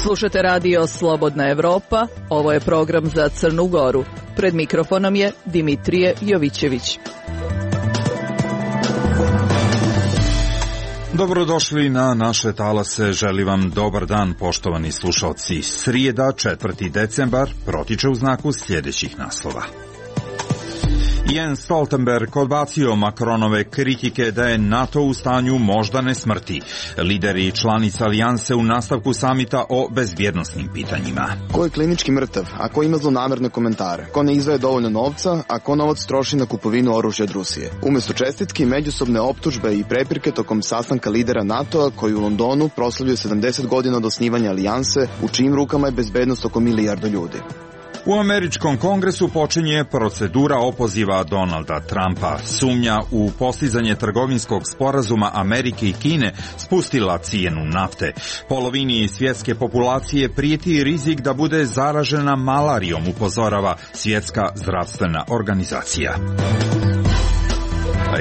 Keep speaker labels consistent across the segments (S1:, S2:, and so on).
S1: Slušate radio Slobodna Evropa, ovo je program za Crnu Goru. Pred mikrofonom je Dimitrije Jovićević.
S2: Dobrodošli na naše talase, želim vam dobar dan, poštovani slušalci. Srijeda, 4. decembar, protiče u znaku sljedećih naslova. Jens Stoltenberg odbacio Macronove kritike da je NATO u stanju moždane smrti. Lideri članica alijanse u nastavku samita o bezbjednosnim pitanjima.
S3: Ko je klinički mrtav, a ko ima zlonamerne komentare? Ko ne izdvaja dovoljno novca, a ko novac troši na kupovinu oružja od Rusije? Umjesto čestitki, međusobne optužbe i prepirke tokom sastanka lidera NATO-a koji u Londonu proslavljuje 70 godina od osnivanja alijanse, u čijim rukama je bezbednost oko milijardu ljudi.
S2: U američkom kongresu počinje procedura opoziva Donalda Trumpa. Sumnja u postizanje trgovinskog sporazuma Amerike i Kine spustila cijenu nafte. Polovini svjetske populacije prijeti rizik da bude zaražena malarijom, upozorava Svjetska zdravstvena organizacija.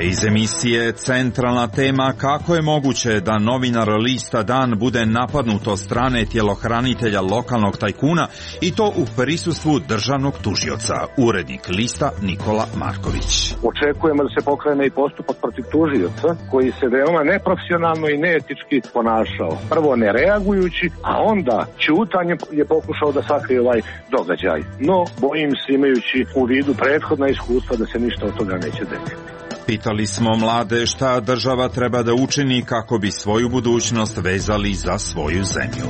S2: Iz emisije centralna tema kako je moguće da novinar lista Dan bude napadnut od strane tjelohranitelja lokalnog tajkuna i to u prisustvu državnog tužioca. Urednik lista Nikola Marković.
S4: Očekujemo da se pokrene i postupak protiv tužioca koji se veoma neprofesionalno i neetički ponašao. Prvo ne reagujući, a onda ćutanjem je pokušao da sakrije ovaj događaj. No, bojim se imajući u vidu prethodna iskustva da se ništa od toga neće desiti.
S2: Pitali smo mlade šta država treba da učini kako bi svoju budućnost vezali za svoju zemlju.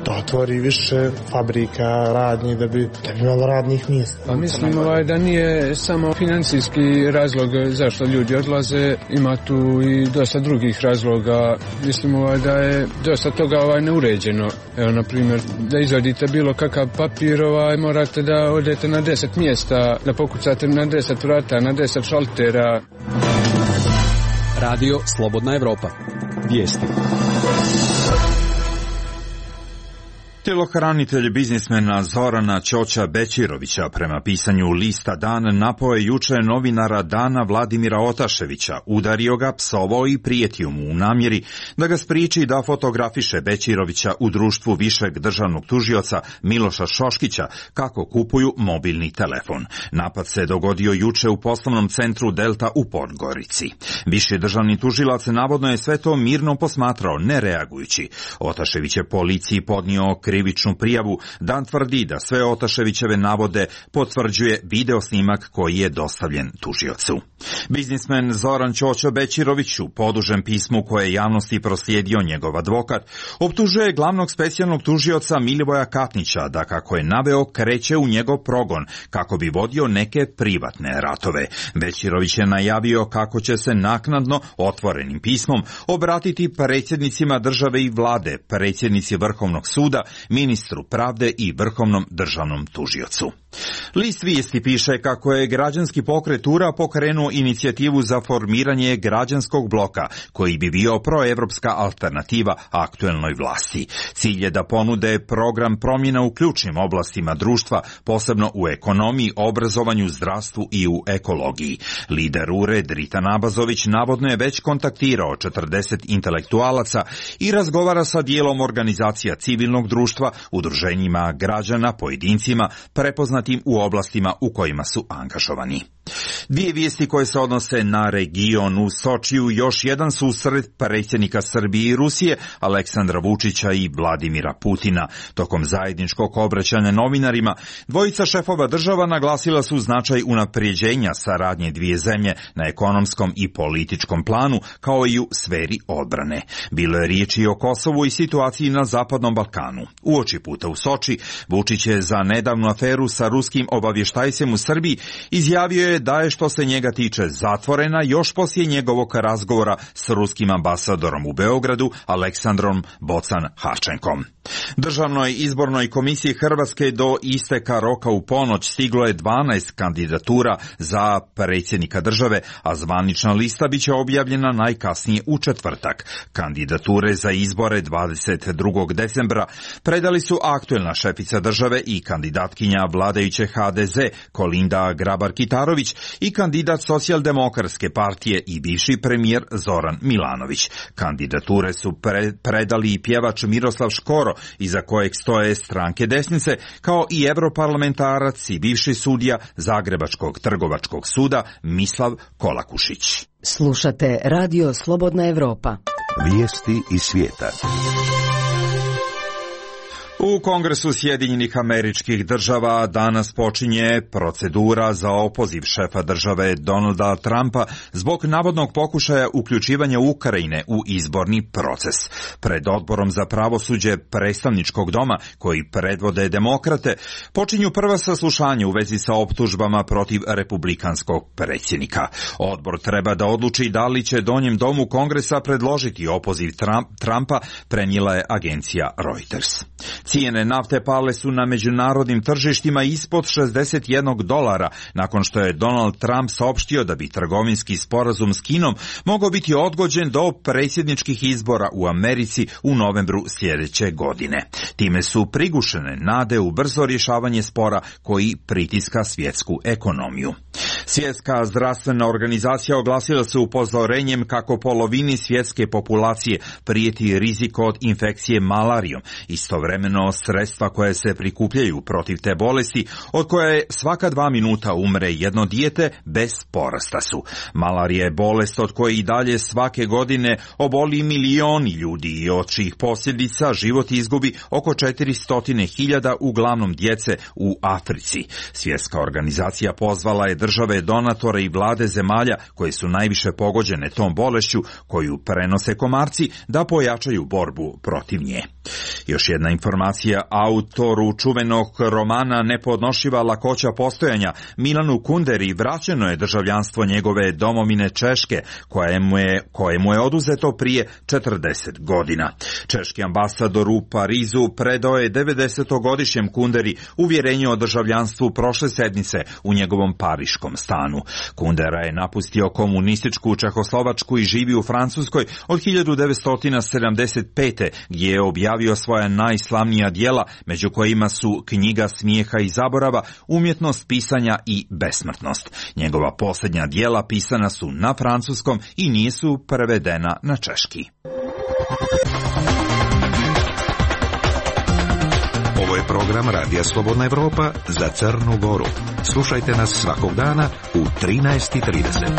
S5: Da otvori više fabrika, radnji, da bi imalo radnih mjesta.
S6: Pa mislim da nije samo financijski razlog zašto ljudi odlaze, ima tu i dosta drugih razloga. Mislim da je dosta toga neuređeno. Evo, na primjer, da izvadite bilo kakav papir, morate da odete na 10 mjesta, da pokucate na 10 vrata, na 10 šaltera.
S7: Radio Slobodna Evropa. Vijesti.
S2: Tjelohranitelj biznismena Zorana Ćoća Bećirovića prema pisanju lista Dan napao je juče novinara Dana Vladimira Otaševića, udario ga, psovao i prijetio mu u namjeri da ga spriječi da fotografiše Bećirovića u društvu višeg državnog tužioca Miloša Šoškića kako kupuju mobilni telefon. Napad se dogodio juče u poslovnom centru Delta u Podgorici. Viši državni tužilac navodno je sve to mirno posmatrao, ne reagujući. Otašević je policiji podnio krivičnu prijavu. Dan tvrdi da sve Otaševićeve navode potvrđuje video snimak koji je dostavljen tužiocu. Biznismen Zoran Ćoćo Bećirović u podužem pismu koje je javnosti proslijedio njegov advokat optužuje glavnog specijalnog tužioca Milivoja Katnića da, kako je naveo, kreće u njegov progon kako bi vodio neke privatne ratove. Bećirović je najavio kako će se naknadno otvorenim pismom obratiti predsjednicima države i vlade, predsjednici Vrhovnog suda, ministru pravde i Vrhovnom državnom tužiocu. List Vijesti piše kako je građanski pokret URA pokrenuo inicijativu za formiranje građanskog bloka koji bi bio proevropska alternativa aktuelnoj vlasti. Cilj je da ponude program promjena u ključnim oblastima društva, posebno u ekonomiji, obrazovanju, zdravstvu i u ekologiji. Lider URE Drita Nabazović navodno je već kontaktirao 40 intelektualaca i razgovara sa dijelom organizacija civilnog društva, udruženjima građana, pojedincima, prepoznatim u oblastima u kojima su angažovani. Dvije vijesti koje se odnose na region. U Sočiju još jedan susret predsjednika Srbije i Rusije, Aleksandra Vučića i Vladimira Putina. Tokom zajedničkog obraćanja novinarima, dvojica šefova država naglasila su značaj unapređenja saradnje dvije zemlje na ekonomskom i političkom planu, kao i u sferi odbrane. Bilo je riječi o Kosovu i situaciji na Zapadnom Balkanu. Uoči puta u Soči, Vučić je za nedavnu aferu sa ruskim obavještajcem u Srbiji izjavio je je da je što se njega tiče zatvorena još poslije njegovog razgovora s ruskim ambasadorom u Beogradu Aleksandrom Bocan-Harčenkom. Državnoj izbornoj komisiji Hrvatske do isteka roka u ponoć stiglo je 12 kandidatura za predsjednika države, a zvanična lista biće objavljena najkasnije u četvrtak. Kandidature za izbore 22. decembra predali su aktuelna šefica države i kandidatkinja vladajuće HDZ Kolinda Grabar-Kitarović i kandidat Socijaldemokratske partije i bivši premijer Zoran Milanović. Kandidature su predali i pjevač Miroslav Škoro, iza kojeg stoje stranke desnice, kao i europarlamentarac i bivši sudija Zagrebačkog trgovačkog suda Mislav Kolakušić.
S8: Slušate Radio Slobodna Evropa.
S9: Vijesti iz svijeta.
S2: U Kongresu Sjedinjenih Američkih Država danas počinje procedura za opoziv šefa države Donalda Trumpa zbog navodnog pokušaja uključivanja Ukrajine u izborni proces. Pred odborom za pravosuđe predstavničkog doma, koji predvode demokrate, počinju prva saslušanja u vezi sa optužbama protiv republikanskog predsjednika. Odbor treba da odluči da li će donjem domu Kongresa predložiti opoziv Trumpa, prenijela je agencija Reuters. Cijene nafte pale su na međunarodnim tržištima ispod $61 nakon što je Donald Trump saopštio da bi trgovinski sporazum s Kinom mogao biti odgođen do predsjedničkih izbora u Americi u novembru sljedeće godine. Time su prigušene nade u brzo rješavanje spora koji pritiska svjetsku ekonomiju. Svjetska zdravstvena organizacija oglasila se upozorenjem kako polovini svjetske populacije prijeti rizik od infekcije malarijom. Istovremeno sredstva koje se prikupljaju protiv te bolesti, od koje svaka 2 minuta umre jedno dijete, bez porasta su. Malarija je bolest od koje i dalje svake godine oboli milioni ljudi i od čijih posljedica život izgubi oko 400.000, uglavnom djece u Africi. Svjetska organizacija pozvala je države donatore i vlade zemalja koje su najviše pogođene tom bolešću koju prenose komarci da pojačaju borbu protiv nje. Još jedna informacija, autoru čuvenog romana Nepodnošljiva lakoća postojanja Milanu Kunderi vraćeno je državljanstvo njegove domovine Češke, kojemu je oduzeto prije 40 godina. Češki ambasador u Parizu predao je 90-godišnjem Kunderi uvjerenje o državljanstvu prošle sedmice u njegovom pariškom stanu. Kundera je napustio komunističku Čehoslovačku i živi u Francuskoj od 1975. gdje je objavio svoja najslavnija djela, među kojima su Knjiga smijeha i zaborava, Umjetnost pisanja i Besmrtnost. Njegova posljednja djela pisana su na francuskom i nisu prevedena na češki.
S9: Ovo je program Radija Slobodna Evropa za Crnu Goru. Slušajte nas svakog dana u 13:30.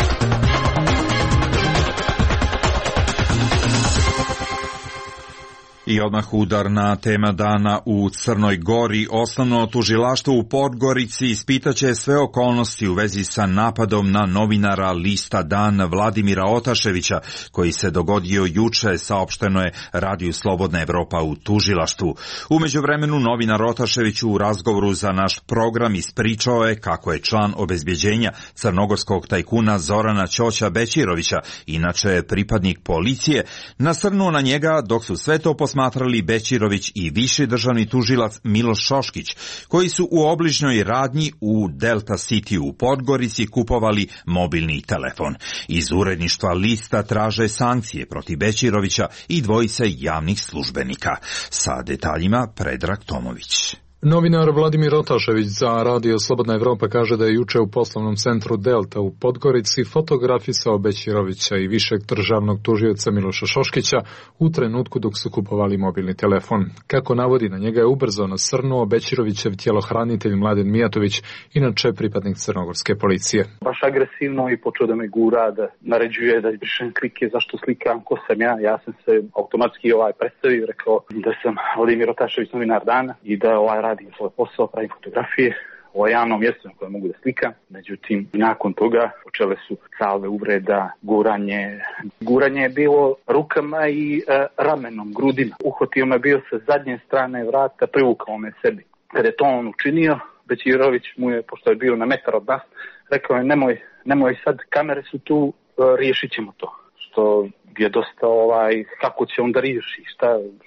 S2: I odmah udarna tema dana u Crnoj Gori. Osnovno tužilaštvo u Podgorici ispitaće sve okolnosti u vezi sa napadom na novinara lista Dan Vladimira Otaševića, koji se dogodio juče, saopšteno je Radiju Slobodna Evropa u tužilaštvu. U međuvremenu novinar Otašević u razgovoru za naš program ispričao je kako je član obezbjeđenja crnogorskog tajkuna Zorana Ćoća Bećirovića, inače pripadnik policije, nasrnuo na njega dok su sve to posmatrali Bećirović i viši državni tužilac Miloš Šoškić, koji su u obližnjoj radnji u Delta City u Podgorici kupovali mobilni telefon. Iz uredništva lista traže sankcije protiv Bećirovića i dvojice javnih službenika. Sa detaljima Predrag Tomović.
S10: Novinar Vladimir Otašević za Radio Slobodna Evropa kaže da je juče u poslovnom centru Delta u Podgorici fotografisao Bećirovića i višeg državnog tužioca Miloša Šoškića u trenutku dok su kupovali mobilni telefon. Kako navodi, na njega je ubrzo nasrnuo Bećirovićev tjelohranitelj Mladen Mijatović, inače pripadnik crnogorske policije.
S11: Baš agresivno i počeo da me gura, da naređuje da izbrišem klike, zašto slikam, ko sam ja. Ja sam se automatski predstavio, rekao da sam Vladimir Otašević, novinar Dana, i da radim svoj posao, pravim fotografije o javnom mjestu na kojem mogu da slikam. Međutim, nakon toga počele su salve uvreda, guranje je bilo rukama i ramenom, grudima. Uhvatio me bio sa zadnje strane vrata, privukao me sebi. Kada je to on učinio, Bećirović mu je, pošto je bio na metar od nas, rekao je nemoj sad, kamere su tu, riješit ćemo to. Što je dosta kako će onda riješi,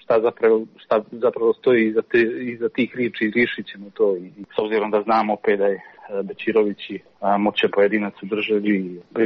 S11: šta zapravo stoji iza tih riječi, riješit ćemo to. I s obzirom da znamo opet da je Bećirović moćan pojedinac u državi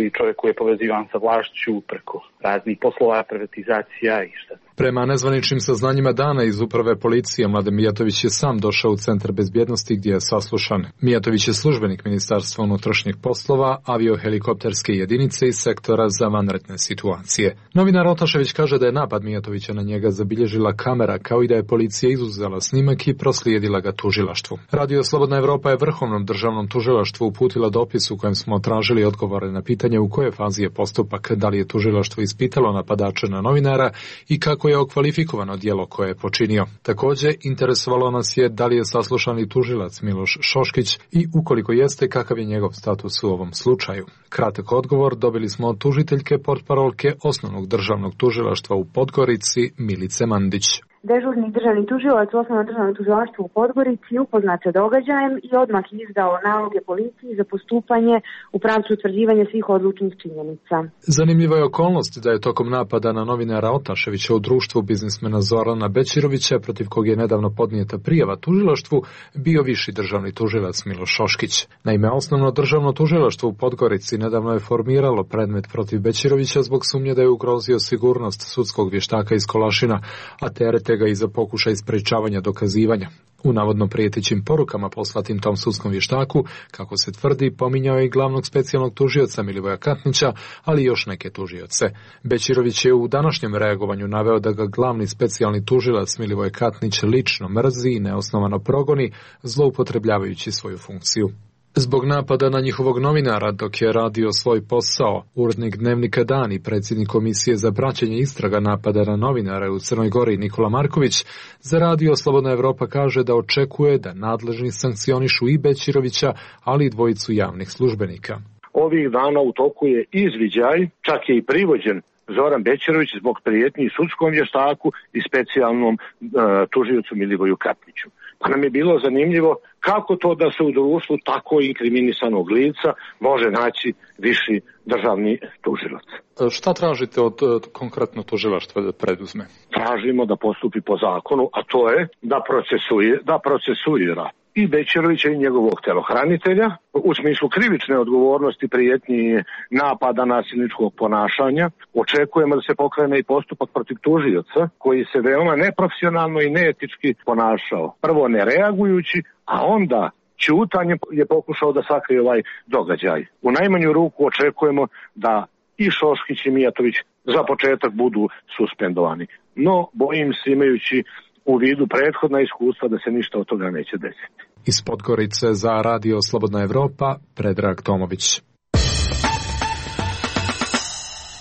S11: i čovjek koji je povezivan sa vlašću preko raznih poslova, privatizacija i šta.
S10: Prema nezvaničnim saznanjima dana iz uprave policije, Mladen Mijatović je sam došao u Centar bezbjednosti gdje je saslušan. Mijatović je službenik Ministarstva unutrašnjih poslova, aviohelikopterske jedinice iz sektora za vanredne situacije. Novinar Otašević kaže da je napad Mijatovića na njega zabilježila kamera, kao i da je policija izuzela snimak i proslijedila ga tužilaštvu. Radio Slobodna Evropa je Vrhovnom državnom tužilaštvu uputila dopis u kojem smo tražili odgovore na pitanje u kojoj fazi je postupak, da li je tužilaštvo ispitalo napadača na novinara i kako je okvalifikovano djelo koje je počinio. Također, interesovalo nas je da li je saslušani tužilac Miloš Šoškić i ukoliko jeste, kakav je njegov status u ovom slučaju. Kratak odgovor dobili smo od tužiteljke portparolke Osnovnog državnog tužilaštva u Podgorici Milice Mandić.
S12: Dežurni državni tužilac u Osnovnom državnom tužilaštvu u Podgorici upoznat sa događajem i odmah izdao naloge policiji za postupanje u pravcu utvrđivanja svih odlučnih činjenica.
S10: Zanimljiva je okolnost da je tokom napada na novinara Otaševića u društvu biznismena Zorana Bećirovića, protiv kog je nedavno podnijeta prijava tužilaštvu, bio viši državni tužilac Miloš Šoškić. Naime, Osnovno državno tužilaštvo u Podgorici nedavno je formiralo predmet protiv Bećirovića zbog sumnje da je ugrozio sigurnost sudskog vještaka iz Kolašina, a terete ga i za pokušaj sprečavanja dokazivanja. U navodno prijetećim porukama poslatim tom sudskom vještaku, kako se tvrdi, pominjao je i glavnog specijalnog tužioca Milivoja Katnića, ali i još neke tužioce. Bećirović je u današnjem reagovanju naveo da ga glavni specijalni tužilac Milivoj Katnić lično mrzi i neosnovano progoni, zloupotrebljavajući svoju funkciju. Zbog napada na njihovog novinara dok je radio svoj posao, urednik dnevnika Dan i predsjednik Komisije za praćenje istraga napada na novinara u Crnoj Gori Nikola Marković za Radio Slobodna Evropa kaže da očekuje da nadležni sankcionišu i Bećirovića, ali i dvojicu javnih službenika.
S4: Ovih dana u toku je izviđaj, čak je i privođen Zoran Bećirović zbog prijetnji sudskom vještaku i specijalnom tužiocu Milivoju Katniću. Pa nam je bilo zanimljivo kako to da se u društvu tako inkriminisanog lica može naći viši državni tužilac.
S10: Šta tražite od konkretno tužilaštva da preduzme?
S4: Tražimo da postupi po zakonu, a to je da procesuira i Bećirovića i njegovog telohranitelja u smislu krivične odgovornosti, prijetnji napada, nasilničkog ponašanja. Očekujemo da se pokrene i postupak protiv tužioca koji se veoma neprofesionalno i neetički ponašao. Prvo ne reagujući, a onda ćutanjem je pokušao da sakrije ovaj događaj. U najmanju ruku očekujemo da i Šoškić i Mijatović za početak budu suspendovani. No, bojim se, imajući u vidu prethodna iskustva, da se ništa od toga neće desiti.
S10: Iz Podgorice za Radio Slobodna Evropa, Predrag Tomović.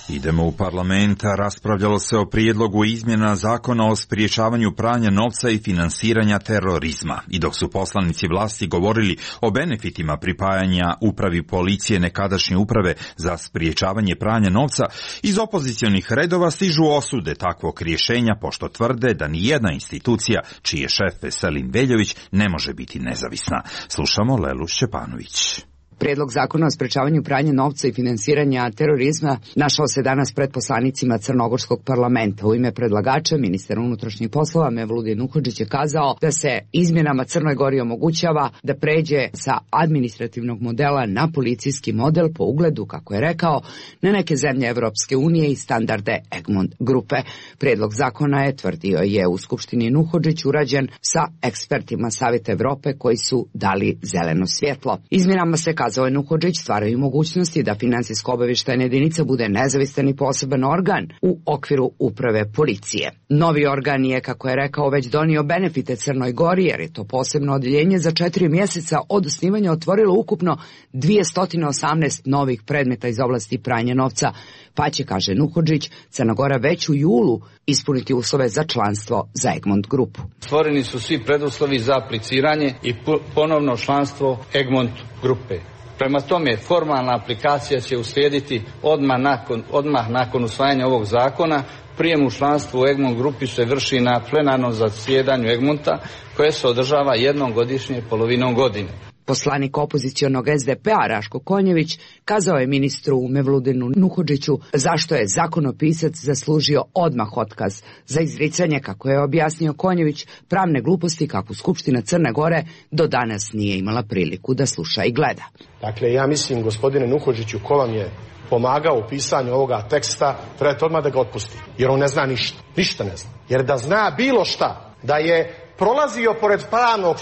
S2: Idemo u parlament, raspravljalo se o prijedlogu izmjena zakona o spriječavanju pranja novca i finansiranja terorizma. I dok su poslanici vlasti govorili o benefitima pripajanja upravi policije nekadašnje uprave za spriječavanje pranja novca, iz opozicionih redova stižu osude takvog rješenja, pošto tvrde da ni jedna institucija, čiji je šef Veselin Veljović, ne može biti nezavisna. Slušamo Lelu Šćepanović.
S8: Prijedlog zakona o sprečavanju pranja novca i finansiranja terorizma našao se danas pred poslanicima Crnogorskog parlamenta. U ime predlagača, ministar unutrašnjih poslova Mevludin Nuhodžić je kazao da se izmjenama Crnoj Gori omogućava da pređe sa administrativnog modela na policijski model po ugledu, kako je rekao, na neke zemlje Evropske unije i standarde Egmont grupe. Prijedlog zakona je, tvrdio je u Skupštini Nuhodžić, urađen sa ekspertima Savjeta Evrope koji su dali zeleno svjetlo. Izmjenama se, kazao je Nuhodžić, stvaraju mogućnosti da finansijsko-obavještajna jedinica bude nezavistan i poseban organ u okviru uprave policije. Novi organ je, kako je rekao, već donio benefite Crnoj Gori, jer je to posebno odjeljenje za 4 mjeseca od osnivanja otvorilo ukupno 218 novih predmeta iz oblasti pranja novca, pa će, kaže Nuhodžić, Crna Gora već u julu ispuniti uslove za članstvo za Egmont grupu.
S13: Stvoreni su svi preduslovi za apliciranje i ponovno članstvo Egmont grupe. Prema tome, formalna aplikacija će uslijediti odmah nakon usvajanja ovog zakona. Prijem u članstvu u Egmont grupi se vrši na plenarnom zasjedanju Egmonta, koje se održava jednom godišnje polovinom godine.
S8: Poslanik opozicionog SDP-a Raško Konjević kazao je ministru Mevludinu Nuhodžiću zašto je zakonopisac zaslužio odmah otkaz za izricanje, kako je objasnio Konjević, pravne gluposti kakvu Skupština Crne Gore do danas nije imala priliku da sluša i gleda.
S14: Dakle, ja mislim, gospodine Nuhodžiću, ko vam je pomagao u pisanju ovoga teksta, trebate odmah da ga otpusti, jer on ne zna ništa ne zna. Jer da zna bilo šta, da je prolazio pored pravnog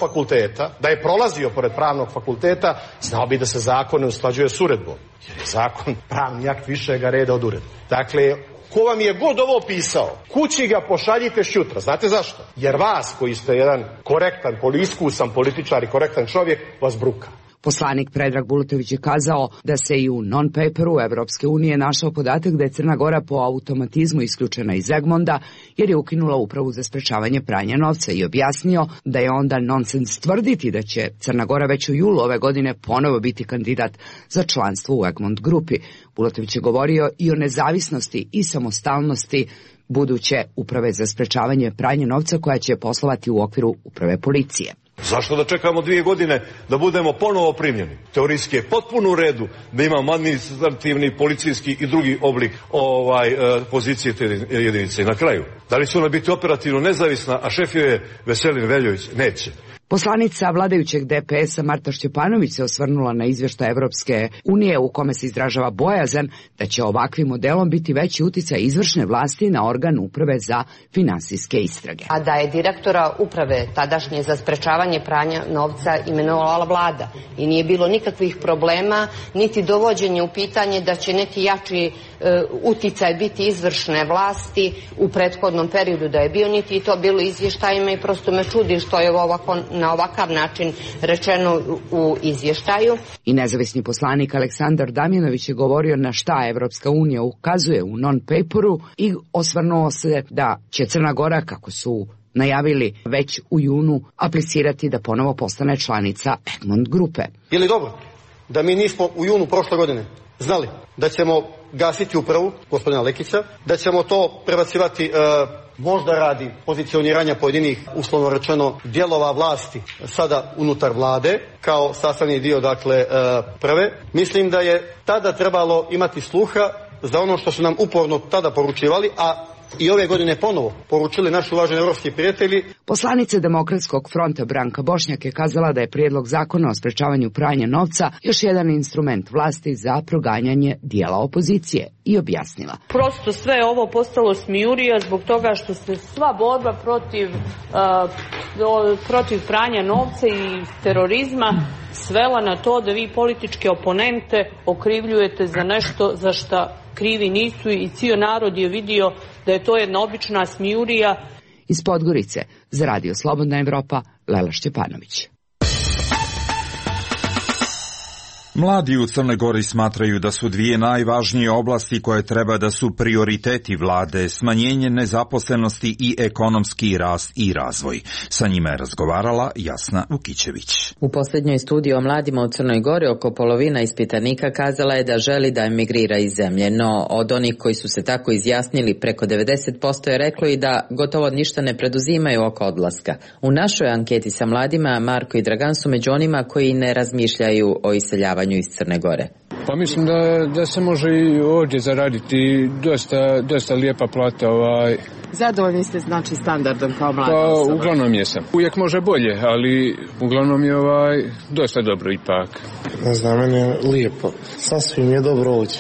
S14: fakulteta, znao bi da se zakon ne usklađuje s uredbom, jer je zakon pravni akt višega reda od uredbe. Dakle, ko vam je god ovo pisao, kući ga pošaljite šutra. Znate zašto? Jer vas, koji ste jedan korektan, iskusan političar i korektan čovjek, vas bruka.
S8: Poslanik Predrag Bulatović je kazao da se i u non-paperu Evropske unije našao podatak da je Crna Gora po automatizmu isključena iz Egmonta jer je ukinula upravu za sprečavanje pranja novca i objasnio da je onda nonsens tvrditi da će Crna Gora već u julu ove godine ponovo biti kandidat za članstvo u Egmont grupi. Bulatović je govorio i o nezavisnosti i samostalnosti buduće uprave za sprečavanje pranja novca koja će poslovati u okviru uprave policije.
S15: Zašto da čekamo 2 godine da budemo ponovo primljeni? Teorijski je potpuno u redu da imamo administrativni, policijski i drugi oblik pozicije te jedinice. I na kraju, da li će ona biti operativno nezavisna, a šef je Veselin Veljović? Neće.
S8: Poslanica vladajućeg DPS-a Marta Šćepanović se osvrnula na izvještaj Evropske unije u kome se izražava bojazan da će ovakvim modelom biti veći uticaj izvršne vlasti na organ uprave za finansijske istrage.
S16: A da je direktora uprave tadašnje za sprečavanje pranja novca imenovala vlada i nije bilo nikakvih problema, niti dovođenje u pitanje da će neki jači uticaj biti izvršne vlasti u prethodnom periodu da je bio, niti to bilo izvještajima i prosto me čudi što je na ovakav način rečeno u izvještaju.
S8: I nezavisni poslanik Aleksandar Damjanović je govorio na šta Evropska unija ukazuje u non-paperu i osvrnuo se da će Crna Gora, kako su najavili već u junu, aplicirati da ponovo postane članica Egmont grupe.
S17: Je li dobro da mi nismo u junu prošle godine znali da ćemo gasiti upravu gospodina Lekića, da ćemo to prebacivati možda radi pozicioniranja pojedinih, uslovno rečeno, dijelova vlasti sada unutar vlade kao sastavni dio, dakle, prve. Mislim da je tada trebalo imati sluha za ono što su nam uporno tada poručivali, a i ove godine ponovo poručili naši uvaženi evropski prijatelji.
S8: Poslanica Demokratskog fronta Branka Bošnjak je kazala da je prijedlog zakona o sprečavanju pranja novca još jedan instrument vlasti za proganjanje dijela opozicije i objasnila.
S18: Prosto sve ovo postalo smijurija zbog toga što se sva borba protiv pranja novca i terorizma svela na to da vi političke oponente okrivljujete za nešto za što krivi nisu i cijel narod je vidio da je to jedna obična smijurija.
S8: Iz Podgorice za Radio Slobodna Evropa, Lela Šćepanović.
S2: Mladi u Crnoj Gori smatraju da su 2 najvažnije oblasti koje treba da su prioriteti vlade, smanjenje nezaposlenosti i ekonomski rast i razvoj. Sa njima je razgovarala Jasna Vukićević.
S19: U posljednjoj studiji o mladima u Crnoj Gori oko polovina ispitanika kazala je da želi da emigrira iz zemlje, no od onih koji su se tako izjasnili preko 90% je reklo i da gotovo ništa ne preduzimaju oko odlaska. U našoj anketi sa mladima Marko i Dragan su među onima koji ne razmišljaju o iseljavanju iz Crne Gore.
S6: Pa mislim da se može i ovdje zaraditi dosta lijepa plata.
S20: Zadovoljni ste znači standardom kao mlada
S6: osoba? Pa uglavnom jesam. Uvijek može bolje, ali uglavnom je dosta dobro ipak.
S5: Ne znam, meni je lijepo. Sasvim je dobro ovdje.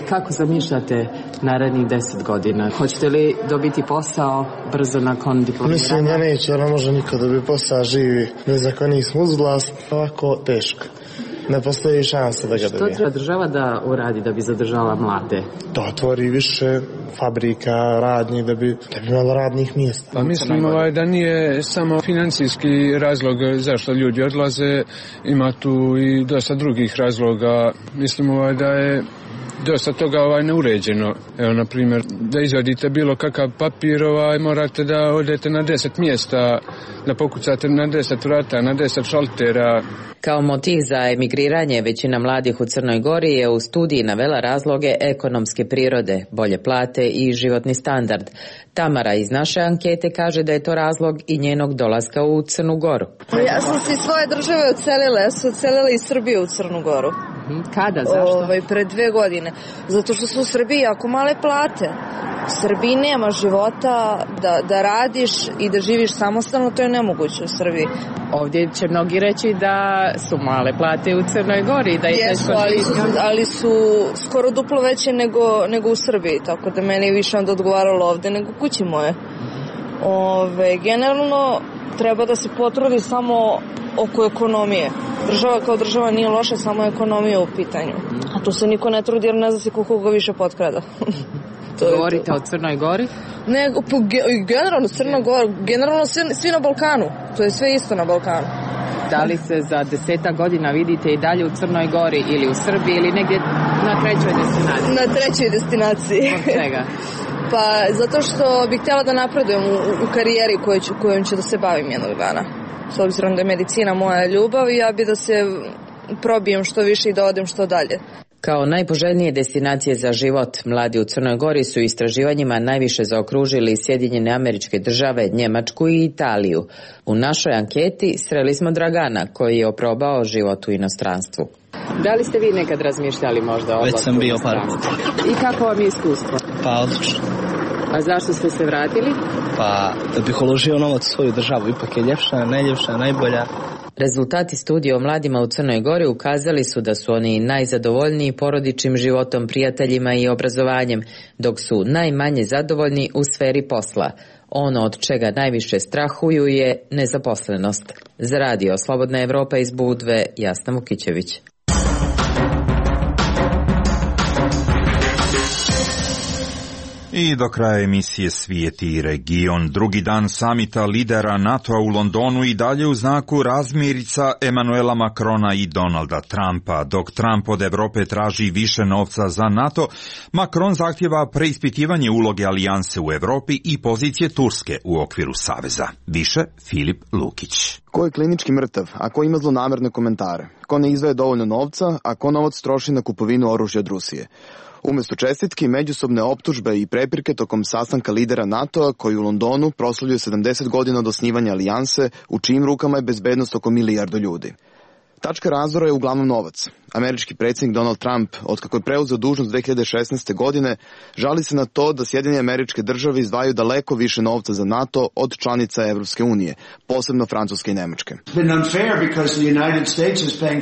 S20: Kako zamišljate narednih 10 godina? Hoćete li dobiti posao brzo nakon diplomiranja?
S5: Mislim da neće, jer ne može niko dobiti posao, živi bez ako nismo uz vlast, ovako teško. Ne postoji šansa da ga dobije.
S20: Što treba država da uradi da bi zadržala mlade?
S5: Da otvori više fabrika, radnji, da bi imala radnih mjesta.
S6: Pa mislim da nije samo financijski razlog zašto ljudi odlaze, ima tu i dosta drugih razloga. Mislim da je dosta toga neuređeno. Evo, na primjer, da izvadite bilo kakav papir, morate da odete na 10 mjesta, da pokucate na 10 vrata, na 10 šaltera.
S19: Kao motiv za emigriranje većina mladih u Crnoj Gori je u studiji navela razloge ekonomske prirode, bolje plate i životni standard. Tamara iz naše ankete kaže da je to razlog i njenog dolaska u Crnu Goru.
S21: Ja sam se iz svoje države odselila, ja sam odselila iz Srbije u Crnu Goru.
S19: Kada, zašto?
S21: Pre 2 godine. Zato što su u Srbiji jako male plate. U Srbiji nema života da radiš i da živiš samostalno, to je nemoguće u Srbiji.
S20: Ovdje će mnogi reći da su male plate u Crnoj Gori. Da
S21: jesu, ali su skoro duplo veće nego u Srbiji, tako da meni je više onda odgovaralo ovdje nego kući moje. Generalno treba da se potrudi samo oko ekonomije. Država kao država nije loša, samo ekonomija u pitanju. A tu se niko ne trudi jer ne zna se koliko ga više potkrada.
S20: Govorite o Crnoj Gori?
S21: Ne, generalno Crna Gora, generalno svi na Balkanu. To je sve isto na Balkanu.
S20: Da li se za 10 godina vidite i dalje u Crnoj Gori ili u Srbiji ili negdje na 3. destinaciji?
S21: Na 3. destinaciji.
S20: Od čega?
S21: Pa zato što bih htjela da napredujem u karijeri kojom ću da se bavim jednog dana. S obzirom da je medicina moja ljubav i ja bi da se probijem što više i da odem što dalje.
S19: Kao najpoželjnije destinacije za život, mladi u Crnoj Gori su istraživanjima najviše zaokružili Sjedinjene Američke Države, Njemačku i Italiju. U našoj anketi sreli smo Dragana, koji je oprobao život u inostranstvu.
S20: Da li ste vi nekad razmišljali možda o odlasku?
S22: Već sam bio par puta.
S20: I kako vam je iskustvo?
S22: Pa odlično.
S20: A zašto ste se vratili?
S22: Pa da bih uložio novac u svoju državu, ipak je ljepša, najljepša, najbolja.
S19: Rezultati studije o mladima u Crnoj Gori ukazali su da su oni najzadovoljniji porodičnim životom, prijateljima i obrazovanjem, dok su najmanje zadovoljni u sferi posla. Ono od čega najviše strahuju je nezaposlenost. Za radio Slobodna Evropa iz Budve, Jasna Mukićević.
S2: I do kraja emisije Svijet i region, drugi dan samita lidera NATO-a u Londonu i dalje u znaku razmirica Emanuela Macrona i Donalda Trumpa. Dok Trump od Evrope traži više novca za NATO, Macron zahtjeva preispitivanje uloge alijanse u Evropi i pozicije Turske u okviru saveza. Više Filip Lukić.
S3: Ko je klinički mrtav, a ko ima zlonamerne komentare? Ko ne izdvaja dovoljno novca, a ko novac troši na kupovinu oružja od Rusije? Umjesto čestitki, međusobne optužbe i prepirke tokom sastanka lidera NATO-a koji u Londonu proslavljuje 70 godina od osnivanja alijanse, u čijim rukama je bezbednost oko 1 milijardu ljudi. Tačka razdora je uglavnom novac. Američki predsjednik Donald Trump, otkako je preuzeo dužnost 2016. godine, žali se na to da Sjedinjene Američke Države izdvajaju daleko više novca za NATO od članica Evropske unije, posebno Francuske i Nemačke.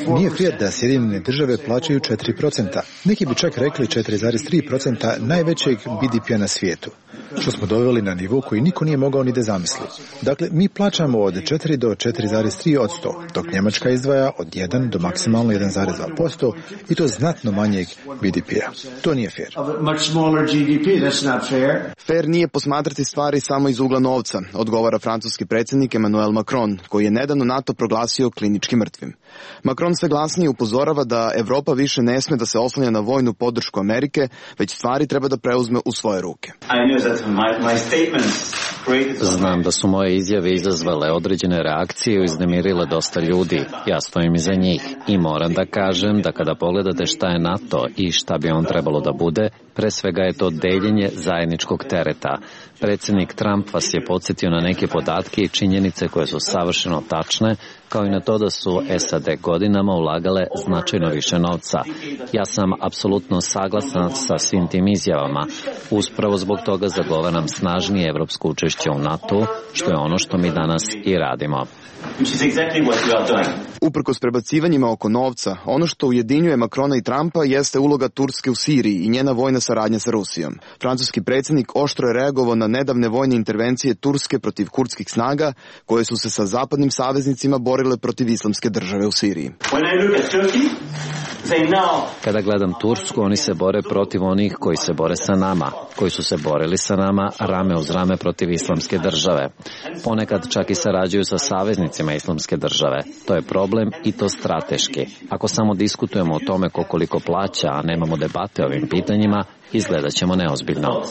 S23: Nije fair da Sjedinjene Države plaćaju 4%. Neki bi čak rekli 4,3% najvećeg BDP-a na svijetu, što smo doveli na nivo koji niko nije mogao ni da zamisli. Dakle, mi plaćamo od 4 do 4,3%, dok Njemačka izdvaja od 1 do maksimalno 1,2% i to znatno manjeg BDP-a. To nije fair.
S3: Fair nije posmatrati stvari samo iz ugla novca, odgovara francuski predsjednik Emmanuel Macron, koji je nedavno NATO proglasio klinički mrtvim. Macron sve glasnije upozorava da Evropa više ne sme da se oslanja na vojnu podršku Amerike, već stvari treba da preuzme u svoje ruke.
S24: Znam da su moje izjave izazvale određene reakcije i uznemirile dosta ljudi. Ja stojim iza njih i moram da kažem da kada pogledate šta je NATO i šta bi on trebalo da bude, pre svega je to deljenje zajedničkog tereta. Predsjednik Trump vas je podsjetio na neke podatke i činjenice koje su savršeno tačne, kao i na to da su SAD godinama ulagale značajno više novca. Ja sam apsolutno saglasan sa svim tim izjavama. Uspravo zbog toga zagovaram snažnije evropsko učešće u NATO, što je ono što mi danas i radimo.
S3: Uprkos prebacivanjima oko novca, ono što ujedinjuje Macrona i Trumpa jeste uloga Turske u Siriji i njena vojna saradnja sa Rusijom. Francuski predsjednik oštro je reagovao na nedavne vojne intervencije Turske protiv kurdskih snaga, koje su se sa zapadnim saveznicima borile protiv islamske države u Siriji.
S24: Kada gledam Tursku, oni se bore protiv onih koji se bore sa nama, koji su se borili sa nama rame uz rame protiv islamske države. Ponekad čak i sarađuju sa saveznicima islamske države. To je problem i to strateški. Ako samo diskutujemo o tome ko koliko plaća, a nemamo debate o ovim pitanjima, izgledat ćemo neozbiljno.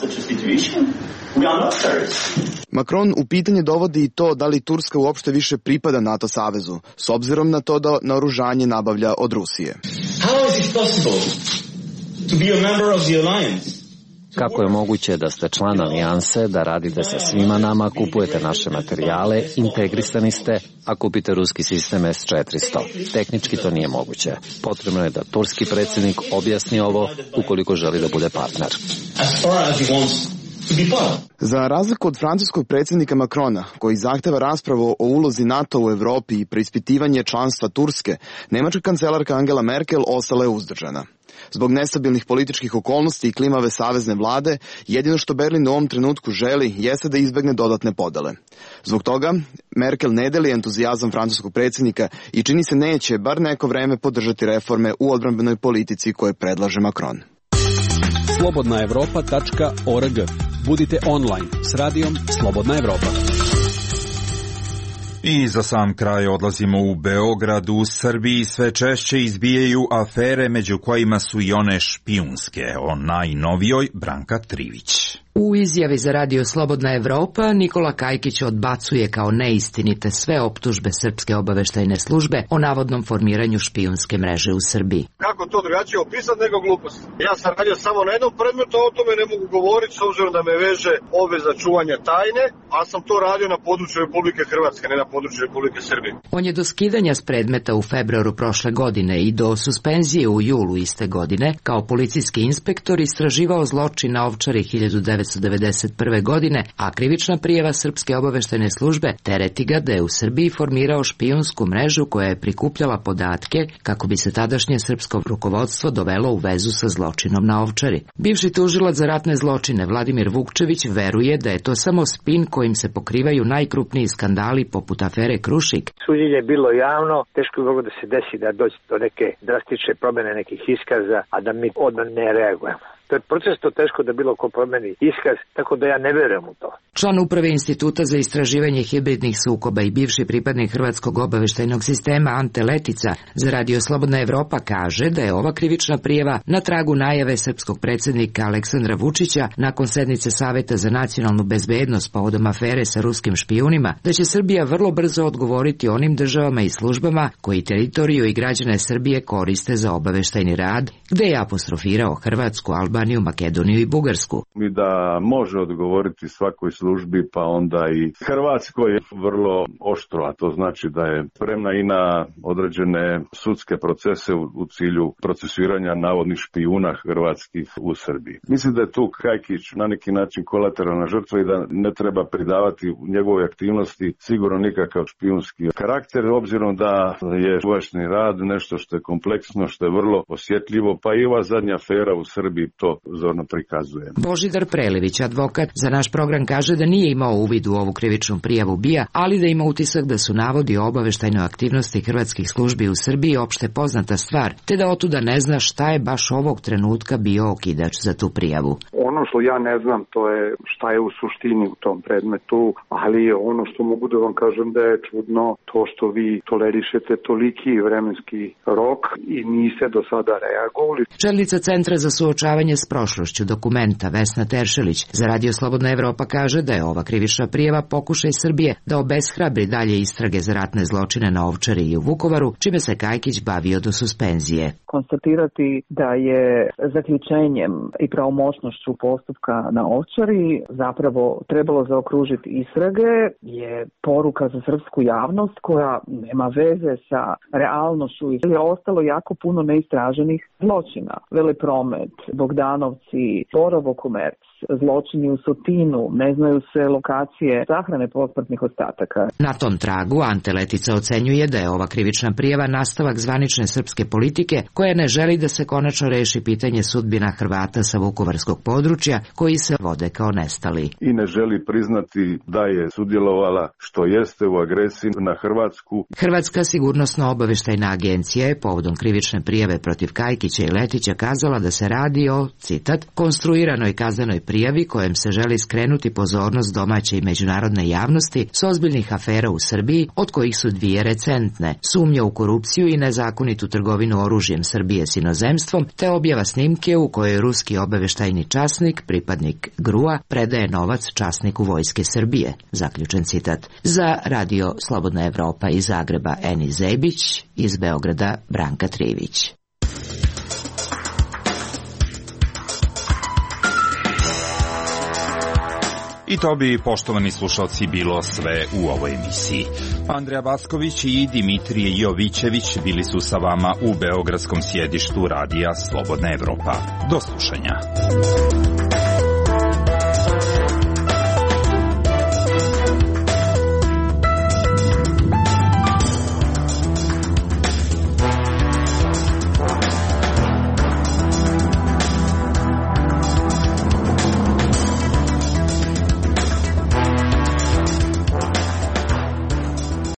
S3: Macron u pitanje dovodi i to da li Turska uopšte više pripada NATO savezu, s obzirom na to da naoružanje nabavlja od Rusije.
S24: Kako je moguće da ste član alijanse, da radite sa svima nama, kupujete naše materijale, integrisani ste, a kupite ruski sistem S-400? Tehnički to nije moguće. Potrebno je da turski predsjednik objasni ovo ukoliko želi da bude partner.
S3: Za razliku od francuskog predsjednika Macrona, koji zahteva raspravu o ulozi NATO u Evropi i preispitivanje članstva Turske, nemačka kancelarka Angela Merkel ostala je uzdržana. Zbog nestabilnih političkih okolnosti i klimave savezne vlade, jedino što Berlin u ovom trenutku želi jeste da izbegne dodatne podele. Zbog toga, Merkel ne deli entuzijazam francuskog predsjednika i čini se neće bar neko vreme podržati reforme u odbrambenoj politici koje predlaže Macron.
S1: slobodnaevropa.org. Budite online s radijom Slobodna Evropa.
S2: I za sam kraj odlazimo u Beograd. U Srbiji sve češće izbijaju afere, među kojima su i one špijunske. O najnovijoj Branka Trivić.
S8: U izjavi za radio Slobodna Evropa Nikola Kajkić odbacuje kao neistinite sve optužbe Srpske obaveštajne službe o navodnom formiranju špijunske mreže u Srbiji.
S14: Kako to drugačije opisati nego glupost? Ja sam radio samo na jednom predmetu, o tome ne mogu govoriti s obzirom da me veže obveza čuvanja tajne, a sam to radio na području Republike Hrvatske, ne na području Republike Srbije.
S8: On je do skidanja s predmeta u februaru prošle godine i do suspenzije u julu iste godine kao policijski inspektor istraživao zločin na Ovčari 1991. godine, a krivična prijava Srpske obaveštajne službe tereti ga da je u Srbiji formirao špijunsku mrežu koja je prikupljala podatke kako bi se tadašnje srpsko rukovodstvo dovelo u vezu sa zločinom na Ovčari. Bivši tužilac za ratne zločine Vladimir Vukčević veruje da je to samo spin kojim se pokrivaju najkrupniji skandali poput afere Krušik.
S7: Suđenje je bilo javno, teško je moglo da se desi da dođe do neke drastične promjene nekih iskaza, a da mi odmah ne reagujemo. To je proces to teško da bilo ko promeni iskaz, tako da ja ne verujem u to.
S8: Član uprave Instituta za istraživanje hibridnih sukoba i bivši pripadnik Hrvatskog obaveštajnog sistema Ante Letica za radio Slobodna Evropa kaže da je ova krivična prijava na tragu najave srpskog predsjednika Aleksandra Vučića nakon sednice Saveta za nacionalnu bezbednost povodom afere sa ruskim špijunima, da će Srbija vrlo brzo odgovoriti onim državama i službama koji teritoriju i građane Srbije koriste za obaveštajni rad, gde je apostrofirao Hrvatsku, Albaniju, Makedoniju i Bugarsku.
S9: I da može odgovoriti svakoj službi, pa onda i Hrvatskoj vrlo oštro, a to znači da je spremna i na određene sudske procese u cilju procesuiranja navodnih špijuna hrvatskih u Srbiji. Mislim da je tu Kajkić na neki način kolateralna žrtva i da ne treba pridavati u njegovoj aktivnosti sigurno nikakav špijunski karakter, obzirom da je obavještajni rad nešto što je kompleksno, što je vrlo osjetljivo, pa i ova zadnja afera u Srbiji to zorno prikazuje.
S8: Božidar Prelević, advokat, za naš program kaže da nije imao uvid u ovu krivičnu prijavu BIA, ali da ima utisak da su navodi o obaveštajnoj aktivnosti hrvatskih službi u Srbiji opšte poznata stvar, te da otuda ne zna šta je baš ovog trenutka bio okidač za tu prijavu.
S11: Ono što ja ne znam, to je šta je u suštini u tom predmetu, ali ono što mogu da vam kažem da je čudno to što vi tolerišete toliki vremenski rok i niste do sada reagovali.
S8: Čelnica Centra za suočavanje s prošlošću Dokumenta Vesna Teršelić za radio Slobodna Evropa kaže da je ova krivična prijava pokušaj Srbije da obeshrabri dalje istrage za ratne zločine na Ovčari i u Vukovaru, čime se Kajkić bavio do suspenzije.
S25: Konstatirati da je zaključenjem i pravomoćnošću postupka na Ovčari zapravo trebalo zaokružiti istrage je poruka za srpsku javnost koja nema veze sa realnošću i je ostalo jako puno neistraženih zločina. Velepromet, Bogdanovci, Borovo komerc, zločini u Sotinu, ne znaju se lokacije sahrane posmrtnih ostataka.
S8: Na tom tragu Ante Letica ocenjuje da je ova krivična prijava nastavak zvanične srpske politike koja ne želi da se konačno reši pitanje sudbina Hrvata sa vukovarskog područja koji se vode kao nestali.
S9: I ne želi priznati da je sudjelovala što jeste u agresiji na Hrvatsku.
S8: Hrvatska sigurnosno-obaveštajna agencija je povodom krivične prijave protiv Kajkića i Letića kazala da se radi o, citat, konstruiranoj kaznenoj prijavi kojem se želi skrenuti pozornost domaće i međunarodne javnosti s ozbiljnih afera u Srbiji, od kojih su dvije recentne, sumnja u korupciju i nezakonitu trgovinu oružjem Srbije s inozemstvom, te objava snimke u kojoj ruski obaveštajni časnik, pripadnik GRU-a, predaje novac časniku Vojske Srbije, zaključen citat. Za Radio Slobodna Evropa iz Zagreba Eni Zebić, iz Beograda Branka Trivić.
S2: I to bi, poštovani slušalci, bilo sve u ovoj emisiji. Andreja Basković i Dimitrije Jovićević bili su sa vama u beogradskom sjedištu Radija Slobodna Evropa. Do slušanja.